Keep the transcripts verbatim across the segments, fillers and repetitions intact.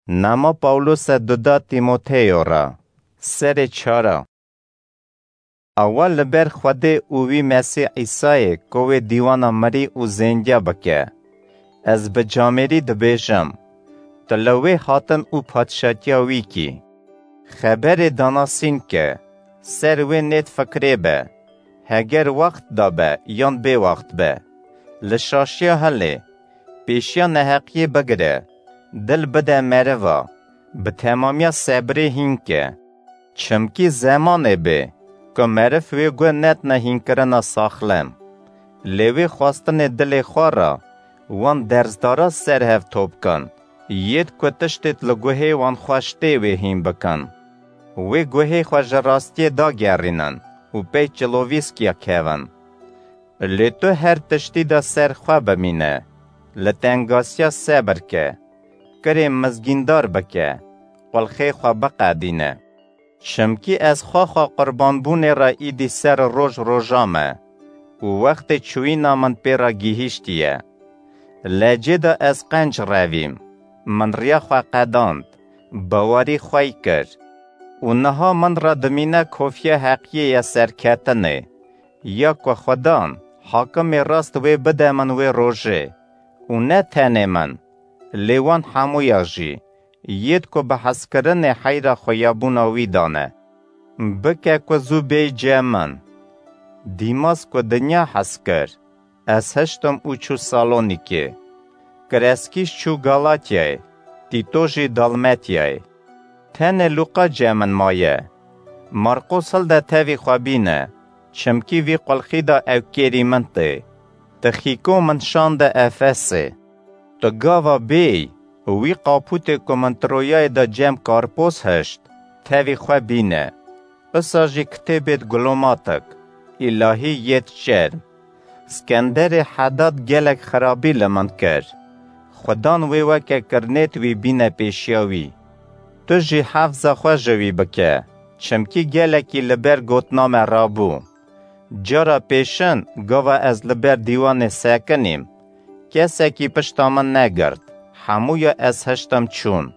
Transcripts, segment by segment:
Nama Pawlose duda Tîmoteyo re. Serê çara. Awa li ber Xwedê û wî Mesîh Îsayê ku wê dîwana mirî û zêndiya bike. Ez bi camêrî dibêjim, tu li wê hatin û padşatiya wî kî. Xeberê danasîn ke, ser wê nêt fikrê be, heger wext da be yan bêwext be. Li şaşiya hilê, pêşiya neheqiyê bigire, dil bide meriva, bi temamiya sebrê hîn ke. Çimkî zemanê bê ku meriv wê guh nedine hînkirina saxlem. Lê wê xwestinê dilê xwe re wan derzdara ser hev top kin, yêd ku tiştêd li guhê wan xweş tê wê hîn bikin. Wê guhê xwe ji rastiyê dagerînin û pey çilovîskiya kevin. Lê tu her tiştî de ser xwe bimîne, li tengasiya sebir ke, kirê mizgîndar bike, qulxê xwe biqedîne. Çimkî ez xwexa qurbanbûnê re îdî ser roj roja me û wextê çûyîna min pê re gihîştiye. Lecê de ez qenc revîm, min riya xwe qedand, bawerî xwey kir û niha min re dimîne kofiya heqiyê ya serketinê, ya ku Xudan, hakimê rast wê bide min wê rojê û ne tenê min, lê wan hemûya jî, yêd ku bi hezkirinê heyra xweyabûna wî dane. Bike ku zû bêy cem min. Dîmas ku dinya hez kir, ez hiştim û çû Salonîkê. Kreskîş çû Galatyayê, Tîto jî Dalmetyayê. Tenê Lûqa cem min maye. Marqos hilde tevî xwe bîne, çimkî vî qulxî de ew kêrî min tê. Tixîko min şande Efesê. Tu gava bêy, wî qapûtê ku min Troyayê de cem Karpos hişt, tevî xwe bîne. Isa jî kitêbêd gulomatik, îlahî yêd çerm. Skenderê Hedad gelek xirabî li min kir. Xudan wê weke kirinêt wî bîne pêşiya wî. Tu jî hefza xwe ji wî bike, çimkî gelekî li ber gotina me rabû. Cara pêşin gava ez li ber dîwanê sekinîm, kesekî pişta min negirt, hemûya ez hiştim çûn.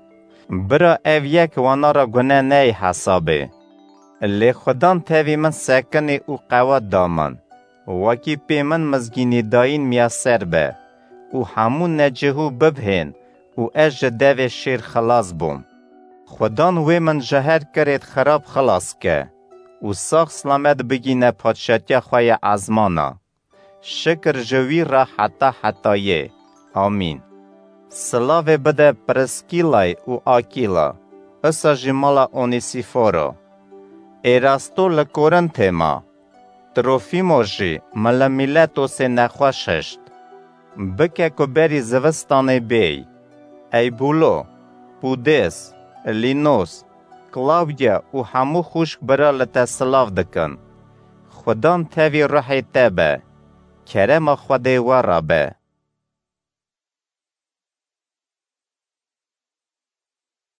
Bira ev yek wana re gune neyê hesabê. Lê Xudan tevî min sekinî û qewet da min. Wekî pê min mizgînî dayîn miyaser be û hemû necihû bibhên û ez ji devê şêr xilas bûm. Xudan wê min ji her kirêd xirab xilas ke û sax silamet bigîne padşatiya xwe ya ezmana. Şikir ji wî re heta hetayê. Amîn. Silavê bide Priskîlay û Akîla, isa jî mala Onîsîforo. Êrasto li Korintê ma. Trofîmo jî min li Mîletosê nexweş hişt. Bike ku berî zivistanê bêy. Eybûlo, Pûdês, Lînos, Klawdya û hemû xwişk bira li te silav dikin. Xudan tevî ruhê te be. Kerema Xwedê we re be.